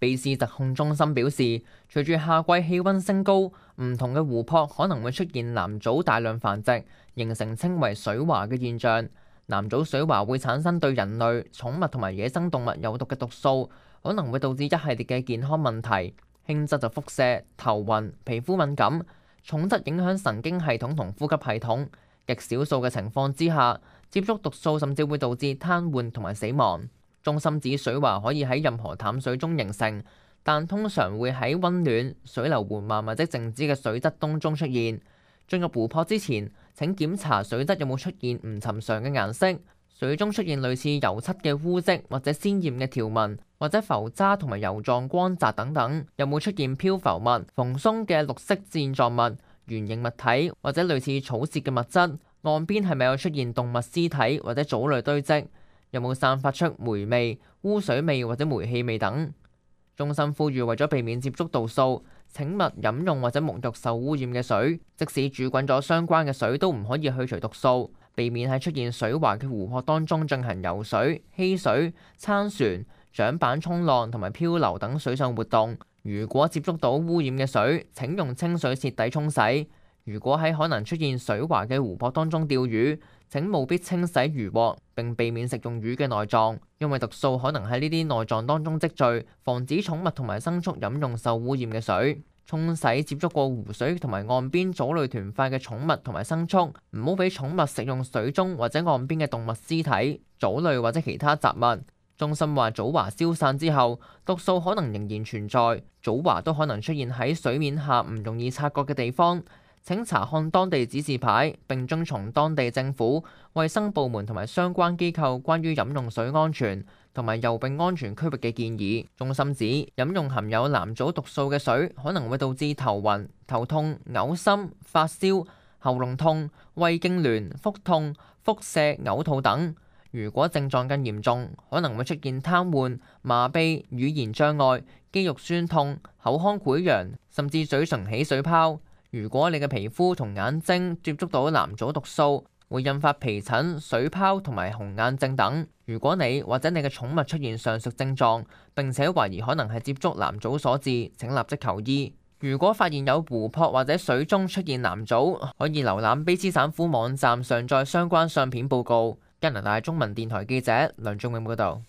卑斯疾控中心表示，隨住夏季氣溫升高，唔同嘅湖泊可能會出現藍藻大量繁殖，形成稱為水華嘅現象。藍藻水華會產生對人類、寵物同埋野生動物有毒嘅毒素，可能會導致一系列嘅健康問題。輕則就腹瀉、頭暈、皮膚敏感，重則影響神經系統同呼吸系統。極少數嘅情況之下，接觸毒素甚至會導致癱瘓同埋死亡。中心指水華可以喺任何淡水中形成，但通常會喺溫暖、水流緩慢或者靜止嘅水質當中出現。進入湖泊之前，請檢查水質有冇出現唔尋常嘅顏色，水中出現類似油漆嘅污跡或者鮮豔嘅條紋，或者浮渣同埋油狀光澤等等，有冇出現漂浮物、蓬鬆嘅綠色線狀物、圓形物體或者類似草屑嘅物質，岸邊係咪有出現動物屍體或者藻類堆積，有冇散發出霉味、污水味或者煤氣味等。中心呼籲為咗避免接觸毒素，請勿飲用或者沐浴受污染嘅水，即使煮滾咗相關嘅水都唔可以去除毒素。避免喺出現水華嘅湖泊當中進行游水、嬉水、撐船、槳板衝浪同埋漂流等水上活動。如果接觸到污染嘅水，請用清水徹底沖洗。如果喺可能出現水華嘅湖泊當中釣魚，請務必清洗魚獲，並避免食用魚嘅內臟，因為毒素可能喺呢啲內臟當中積聚，防止寵物同埋牲畜飲用受污染嘅水。沖洗接觸過湖水同埋岸邊藻類團塊嘅寵物同埋牲畜，唔好俾寵物食用水中或者岸邊嘅動物屍體、藻類或者其他雜物。中心話藻華消散之後，毒素可能仍然存在，藻華都可能出現喺水面下唔容易察覺嘅地方。請查看當地指示牌，並遵從當地政府、衛生部門同埋相關機構關於飲用水安全同埋游泳安全區域嘅建議。中心指飲用含有藍藻毒素嘅水可能會導致頭暈、頭痛、嘔心、發燒、喉嚨痛、胃痙攣、腹痛、腹瀉、嘔吐等。如果症狀更嚴重，可能會出現癱瘓、麻痹、語言障礙、肌肉酸痛、口腔潰瘍，甚至嘴唇起水泡。如果你嘅皮膚同眼睛接觸到藍藻毒素，會引發皮疹、水泡同埋紅眼症等。如果你或者你嘅寵物出現上述症狀，並且懷疑可能係接觸藍藻所致，請立即求醫。如果發現有湖泊或者水中出現藍藻，可以瀏覽卑斯省府網站上載相關相片報告。加拿大中文電台記者梁仲永報導。